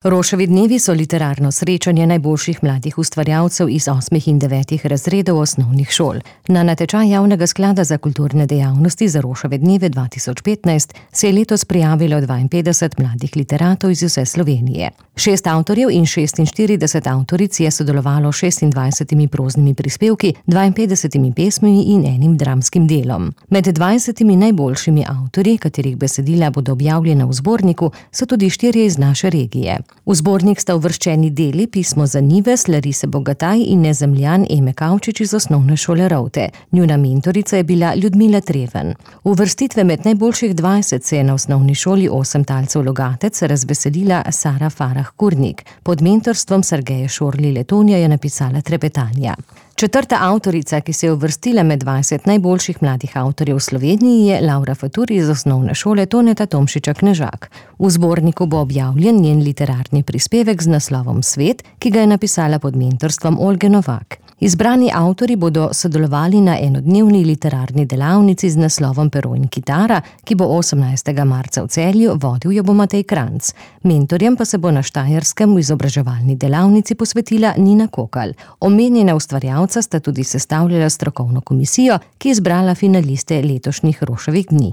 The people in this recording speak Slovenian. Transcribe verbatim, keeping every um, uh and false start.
Roševi dnevi so literarno srečanje najboljših mladih ustvarjalcev iz osmih in devetih razredov osnovnih šol. Na natečaj Javnega sklada za kulturne dejavnosti za Roševe dneve dva tisoč petnajst se je letos prijavilo dvainpetdeset mladih literatov iz vse Slovenije. Šest avtorjev in šestinštirideset avtoric je sodelovalo s šestindvajsetimi proznimi prispevki, dvainpetdesetimi pesmimi in enim dramskim delom. Med dvajsetimi najboljšimi avtorji, katerih besedila bodo objavljena v zborniku, so tudi štirje iz naše regije. V zbornik sta uvrščeni deli Pismo za Nives Larise Bogataj in Nezemljan Eme Kavčič iz osnovne šole Rovte. Njuna mentorica je bila Ljudmila Treven. Uvrstitve med najboljših dvajset se je na osnovni šoli Osem talcev Logatec razveselila Sara Farah Kurnik. Pod mentorstvom Sergeja Šorli Letonja je napisala Trepetanja. Četrta avtorica, ki se je uvrstila med dvajset najboljših mladih avtorjev v Sloveniji, je Laura Fatur iz osnovne šole Toneta Tomšiča Knežak. V zborniku bo objavljen njen literarni prispevek z naslovom Svet, ki ga je napisala pod mentorstvom Olge Novak. Izbrani avtorji bodo sodelovali na enodnevni literarni delavnici z naslovom Pero in kitara, ki bo osemnajstega marca v Celju, vodil jo bo Matej Kranjc. Mentorjem pa se bo na Štajerskem v izobraževalni delavnici posvetila Nina Kokalj. Omenjena ustvarjalca sta tudi sestavljala strokovno komisijo, ki je izbrala finaliste letošnjih Roševih dni.